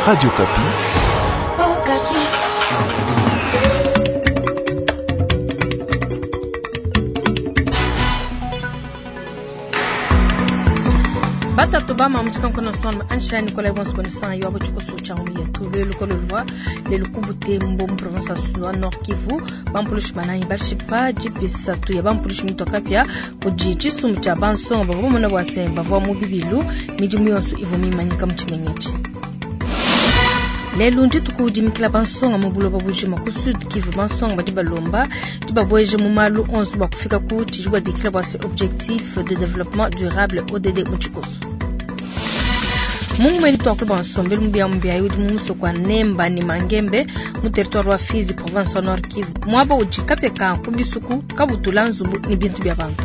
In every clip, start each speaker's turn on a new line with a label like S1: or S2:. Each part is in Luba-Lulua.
S1: Radio Okapi.
S2: Batatu ba mamu tshikankono son ansha Nicolas Bonso Bonisanga yo abuchiko cha mu yetu lelu kololwa lelu ku Butembo mu province ya Nord Kivu bampulushi banayi bashipa jipisa tu ya bampulushi mutoka pia kudi tshisumbu tshia bansonga bavua bamona bua se bavua mu bibilu midimu yonso ivua mimanyika mu tshimenga lelu ndituku dimikila bansonga mu buloba bujima ku Sud Kivu bansonga badi balomba dibabweje mu malu onso bua kufika ku tshidi babikila bua se objectif de développement durable ODD mu tshikoso. Mungu mwene twakula bua nsombelu mubia mubia udi mu musoko wa Nemba ne Mangembe mu territoire wa Fizi province wa Nord Kivu muaba udi kapeka ku bisuku kabutula nzubu ne bintu bia bantu.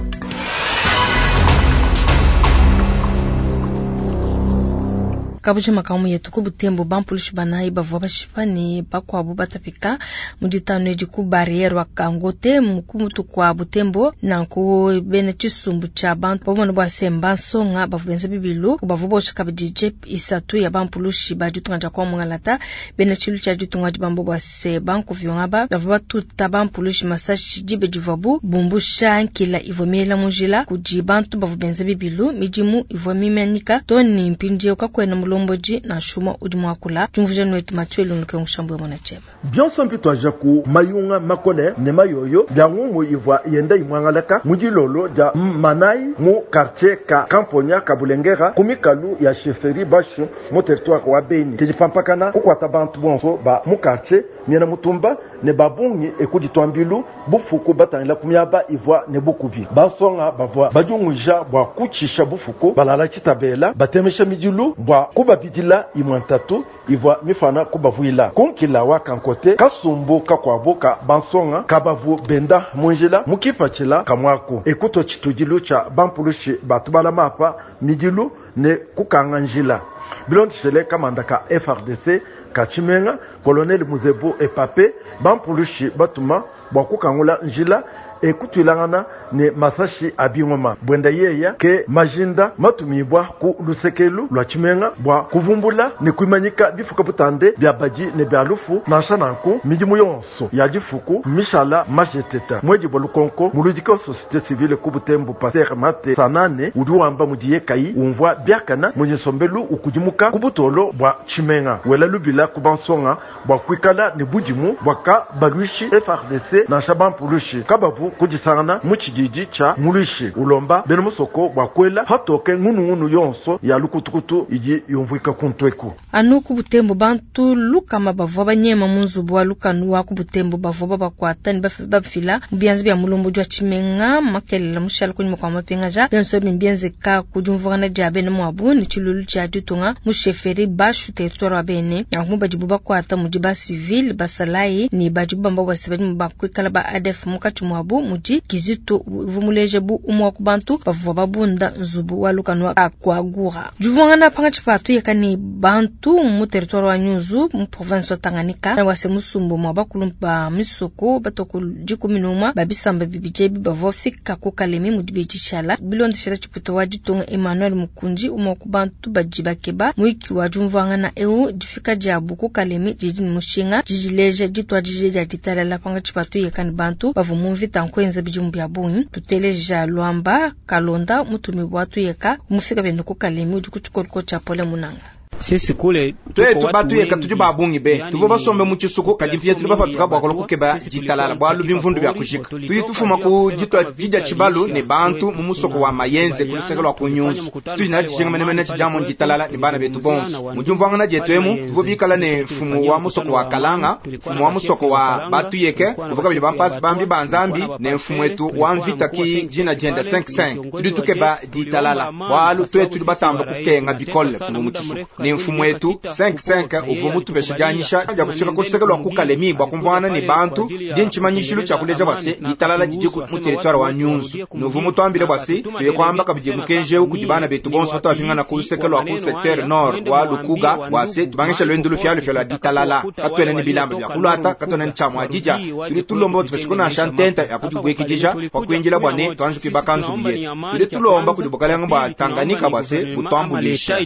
S2: Kabujima kamu yetu ku Butembo bampulushi banayi bavua bashipa ne bakuabu batapika mu ditanu edi ku barriere wa Kangote mu kumutu kwa Butembo nanku bena tshisumbu tshia bantu bamona bua se mbansonga bavua benza bibilu bavua bosha kabidi jeep isatu ya bampulushi ba ditunga dia kwa Mungalata bena tshilu tshia ditunga dibambo bua se bankuvyonga ba bavua batuta bampulushi masashi dibe divuabu bumbusha nkila ivua miela mu njila kudi bantu bavua benza bibilu midimu ivua mimanyika to ni mpindieu kakuena mulombodi na shuma udi muakula diumvuija nwetu Mathieu Lunduke mushambu ya mwana cheba.
S3: Bionso mpitwaja ku mayunga makole ne mayoyo bya ngumu ivua yenda imwangalaka mu dilolo dia manayi mu quartier ka Kamponya ka Bulengera ku mikalu ya chefferie Bashu mu territoire wa Beni. Kidipampakana kukwata bantu bonso ba mu quartier miena mutumba ne babungi ekuditwambilu bufuku batangila ku miaba ivua ne bukubi. Bansonga bavua badiunguija bua kutshisha bufuku balala tshitabela batemesha midilu bua kubabidila imwe ntatu ivua mifana kubavuila. Kunkila wa kankote kasumbu kakuabu ka bansonga kabavu benda munjila mukipatshila kamwaku ekuto tshitudilu tshia bampulushi batu balama apa midilu ne kukanga njila. Bilondeshele kamanda ka FARDC ka tshimenga colonel Muzebu Epape bampulushi batuma bua kukangula njila ekutwilangana ne masashi abingoma bwenda yeya ke majinda matumibwa ku lusekelu lwa tshimenga bua kuvumbula ne kuimanyika bifuka butande bya badi ne bya lufu nansha nanku midimu yonso ya difuku mishala majeteta mwedi bwa lukonko muludiki wa société civile ku Butembo Pasteur Mate Sanane udi wamba mudiye kai umvua biakana mudi nsombelu ukudimuka ku butolo bua tshimenga wela lubila ku bansonga bua kuikala ne budimu bua ka balwishi FARDC nansha bampulushi kabavu kudisangana mu tshididi tshia muluishi ulomba bena musoko bua kuela patoke ngunungunu yonso ya lukutukutu idi yumvuika kuntweku.
S2: Anu ku Butembo bantu lukama bavua banyema mu nzubu wa lukanu wa ku Butembo bavua babakuata ne bafila mu bianza bia mulombodi wa tshimenga makelela mushala kunyima kua mapingaja bionso ebi mbienzeka ku diumvuangana dia bena muabu ne tshilulu tshia ditunga mu chefferie Bashu territoire wa Bene. Nanku badibu bakuata mudi ba civil basalayi ne badibu bamba bua se badi bakuikala ba ADF mukatshi muabu mudi Kizito uvua muleje bu umue wa ku bantu bavua babunda nzubu wa lukanu wa Akwagura. Diumvuangana pangatshi pa tuyeka ne bantu mu territoire wa Nyunzu mu province wa Tanganyika wase musumbu mwa bakulu ba misoko batoko dikumi n'umwe ba bisamba bibidi ebi bavua fika ku Kalemi mu dibedi tshiala bilondeshela tshiputa wa ditunga Emmanuel Mukunji umue wa ku bantu badi bakeba muiki wa diumvuangana eu difika diabu ku Kalemi didi ne mushinga didileja dituadije dia ditalala pangatshi pa tuyeka ne bantu bavua mu mvita nkuenza bidimu bia bungi. Tuteleja Luamba Kalonda mutumi wa tuyeka mufika bende ku Kalemi udi ku tshikoloko tshia Pole Munanga.
S4: Sisi kule
S5: twetu batuyeka tudi babungi be tuvua basombe mu tshisuku kadi mpia tudi bapatuka bua kukeba ditalala bualu bimvundu bia kujika tudi tufuma ku ditua didia tshibalu ne bantu mu musoko wa Mayenze ku luseke lua ku Nyunzu tudi na dijinga menemene tshidiamu ditalala ne bana betu bonso mu diumvuangana dietu emu tuvua bikala ne mfumu wa musoko wa Kalanga mfumu wa musoko wa Batuyeke kuvua kabidi bampasi bambi ba Nzambi ne mfumu wetu wa mvita ki dina dienda 5-5 tudi tukeba ditalala bualu twetu tudi batamba kukenga bikole kuno mu tshisuku ne mfumu wetu 5-5 uvua mutupesha dianyisha dia kufika ku luseke lua ku Kalemi bua kumvuangana ne bantu di ntshimanyishilu tshia kuleja bua se ditalala didi mu territoire wa Nyunzu nuvu mutuambile bua se tuye kuamba kabidi mukenji eu kudi bana betu bonso batuapingana ku luseke lua ku secteur nord wa Lukuga bua se tubangisha lwendu lufialufia lua ditalala katuena ne bilamba bia kuluata katuena ne tshiamua didia tudi tulomba tupeshe kunansha ntenta ya kudibuikidija kwa kuinjila bua ne tuanji kuibaka nzubu yetu tudi tulomba kudi bukalenga bua Tanganyika bua se butuambulisha.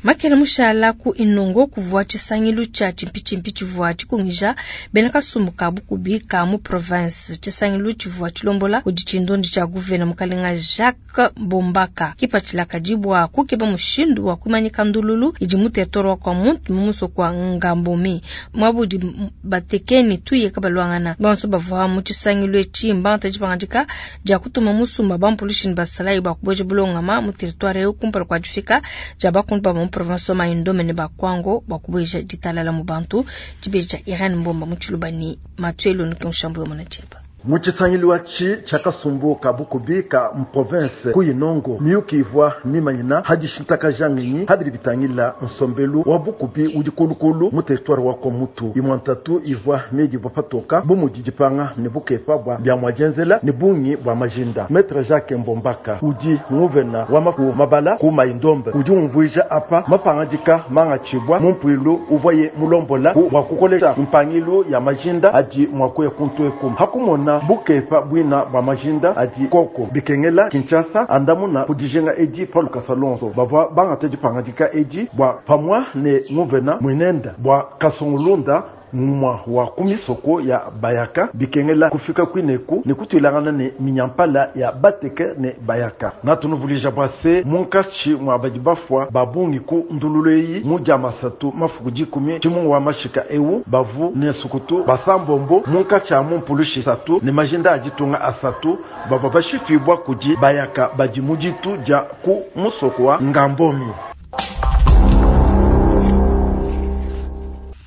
S2: Makela mushala ku Inongo kuvua tshisangilu tshia tshimpitshimpi tshivua tshikungija bena kasumbu ka bukubi ka mu province. Tshisangilu tshivua tshilombola kudi tshindondi tshia guvena mukalenga Jacques Bombaka. Kipatshila kadi bua kukeba mushindu wa kuimanyika ndululu idi mu territoire wa Kwamouth mu musoko wa Ngambomi muaba udi batekeni tuye kabaluangana. Bonso bavua mu tshisangilu etshi mbangata dipangadika dia kutuma musumba bampulushi ne basalayi bua kubueja bulongama mu territoire eu kumpala kua difika dia bakundu ba mu province wa Mai-Ndombe ne ba Kwango bua kubueja ditalala mu bantu. Dibeji dia Irene Mbomba mu Tshiluba ne Mathieu Lunuke Mushambu wa Mona-Tshieba.
S3: Mu tshisangilu atshi tshia kasumbu ka bukubi ka mu province ku Inongo, miyuki ivua mimanyina ha dishintakaja ngenyi ha bidi bitangila nsombelu wa bukubi udi kulukulu mu territoire wa Kwamouth. Imua ntatu ivua miedibua patoka bu mudi dipanga ne bukepa bua bia mua dienzela ne bungi bua majinda. Maitre Jacques Mbombaka udi nguvena wa maku mabala ku Mai-Ndombe udi umvuija apa mapangadika mangatshibua mu mpuilu uvuaye mulombola ku bua kukolesha mpangilu ya majinda adi mua kuya kuntu eku ha kumona bukepa buina bua majinda adi koko bikengela Kinshasa andamuna ku dijinga edi pa lukasa lonso. Bavua bangata dipangadika edi bua pamua ne nguvena muinenda bua Kasongulunda ngumua wa ku misoko ya Bayaka bikengela kufika kuineku ne kutuilangana ne minyampala ya Bateke ne Bayaka. Natunuvuluija bua se munkatshi mua badi bafua ba bungi ku ndululu eyi mu dia masatu mafuku 10 tshimungu wa mashika eu bavu ne nsukutu basambombo munkatshi a mu mpulushi satu ne majinda a ditunga asatu bavua bashipibua kudi Bayaka badi mu ditu dia ku musoko wa Ngambomi.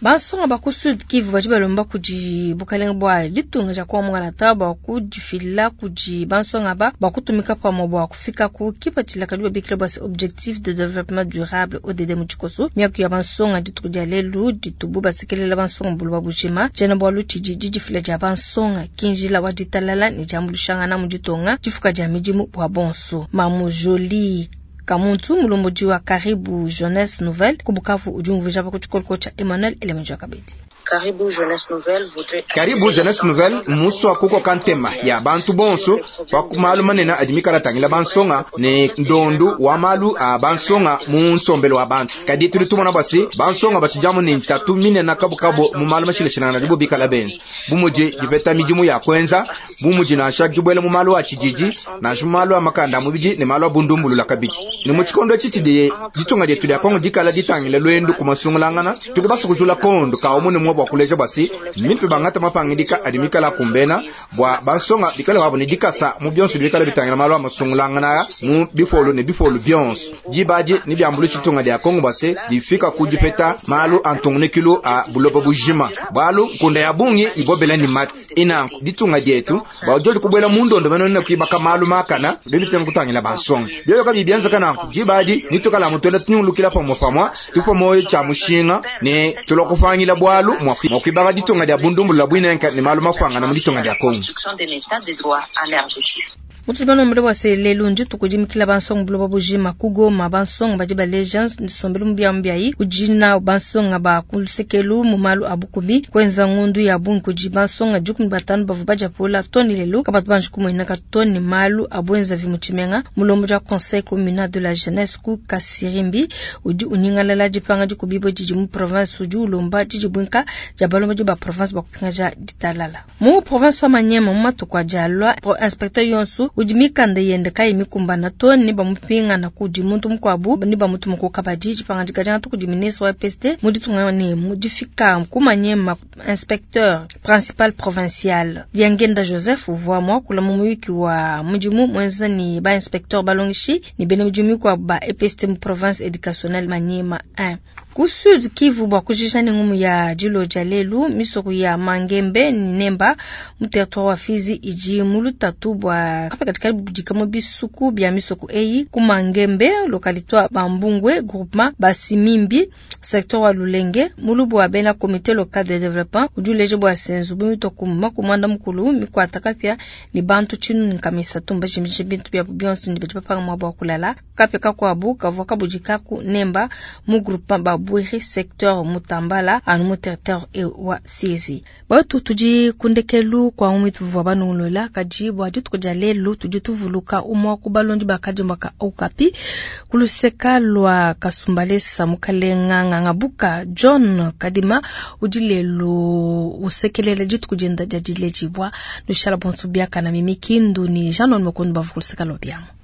S2: Bansonga ba ku Sud Kivu badi balomba kudi bukalenge bua ditunga dia Kongo Mungalata bua kudifila kudi bansonga aba bua kutumika pamue bua kufika ku kipatshila kadi babikila bua se objectif de développement durable ODD mu tshikoso. Miaku ya bansonga dituku dia lelu ditubu basekelela bansonga buloba bujima. Tshiena-bualu tshidi didifila dia bansonga ki njila wa ditalala ne diambuluishangana mu ditunga, difuka dia midimu bua bonso. Mamu Jolie Kamuntu, mulombodi wa Karibu Jeunesse Nouvelle ku Bukavu, udi umvuija pa ku tshikoloko tshia Emmanuel Elemenjo Kabedi.
S1: Karibu Jeunesse Nouvelle voudrait
S5: Karibu Jeunesse Nouvelle mmusua kukoka ntema ya bantu bonso pa ku malu manene adi mikala tangila bansonga ne ndondu wa malu a bansonga mu nsombelu wa bantu. Kadi tudi tumona bua se bansonga batshidiamu ne ntatu minene kabukabu mu malu mashilashilangane adibo bikala benza, bu mudi dipeta midimu ya kuenza, bu mudi nansha dibuela mu malu a tshididi, nansha mu malu a makanda a mubidi ne malu a bundumbulula kabidi. Ne mu tshikondo etshi tshidi ditunga dietu dia Kongo dikala ditangila luendu ku masungulangana, tudi basukujula kondo ka umue ne umue bua kuleja bua se mmimpe bangate mapangidika adi mikale akumbena bua bansonga bikale wabu ne dikasa mu bionso bidi bikale bitangila malu a masungulangana mu bipolu ne bipolu bionso. Diba adi nebiambuluishe ditunga dia Kongo bua se difika ku dipeta malu a ntungunukilu a buloba bujima, bualu nkunda ya bungi ibobela ne mati. Inanku ditunga dietu bua diodi kubuela mu ndondo mene ne kuibaka malu makana bidi bitenga kutangila bansonga. Bioyo kabiyi bienzeka nanku, diba adi netuikale amu tuenda tunyungulukila pamue pamue, tupua muoyo tshia mushinga ne tulua kupangila bualu mua kuibaka ditunga dia bundumbulula buinenka ne malu mapuangane mu ditunga dia Kongo.
S2: Mutudi banombele bua se lelu ndituku dimikila bansonga buloba bujima ku Goma. Bansonga badi baleja nsombelu mubiamubiayi udi nawu bansonga ba ku lusekelu mu malu a bukubi. Kuenza ngondu ya bungi kudi bansonga 15 bavua badiapula too ne lelu kabatu banji kumueneka too ne malu a buenzavi mu tshimenga. Mulombodi wa Conseil communal de la jeunesse ku Kasirimbi udi unyingalala dipanga dikubibue didi mu province, udi ulomba didibuinka dia balombodi ba province bua kupingaja ditalala. Mu province wa Maniema, mu matuku adi alua, inspecteur yonso udi mikanda yende kayi mikumbana to ne bamupingana kudi muntu mukuabu ne bamutuma ku kabadi. Dipangadika diangata kudi ministre wa EPST mu ditunga ne mu difika ku Maniema, inspecteur principal provincial Diangenda Joseph uvua muakula mu muyuki wa mudimu muenza ne ba inspecteur balongeshi ne bena midimu mikuabu ba EPST mu province educationnelle Maniema 1. Ku Sud Kivu, bua kujija ne ngumu ya dilo dia lelu, misoko ya Mangembe ne Nemba mu territoire wa Fizi idi mu lutatu bua kapia kadi kabudika mu bisuku bia misoko eyi. Ku Mangembe, localité wa Bambungwe, groupement Basimimbi, secteur wa Lulenge, mulubu wa bena comité local de développement udi uleja bua se nzubu mitua ku makumi muanda mukulu mikuata kapia ne bantu tshinunu nkama isatu mbajimije bintu biabu bionso ne badi bapanga muaba wa kulala. Kapia kakuabu kavua kabudika ku Nemba mu groupement ba. Bwiri secteur Mutambala anu mu territoire wa Fizi. Batu tudi ku ndekelu kua ngumu ituvua banongolola kadi bua dituku dia lelu tudi tuvuluka umua ku balondi ba kadiomba ka Okapi ku luseka lua Kasumbalesa mukalenga Ngangabuka John Kadima udi lelu usekelela dituku dienda dia diledibua. Nushala bonso biakana Mimi Kindu ni Jean Noël Mokondo bavua ku luseka lua biamu.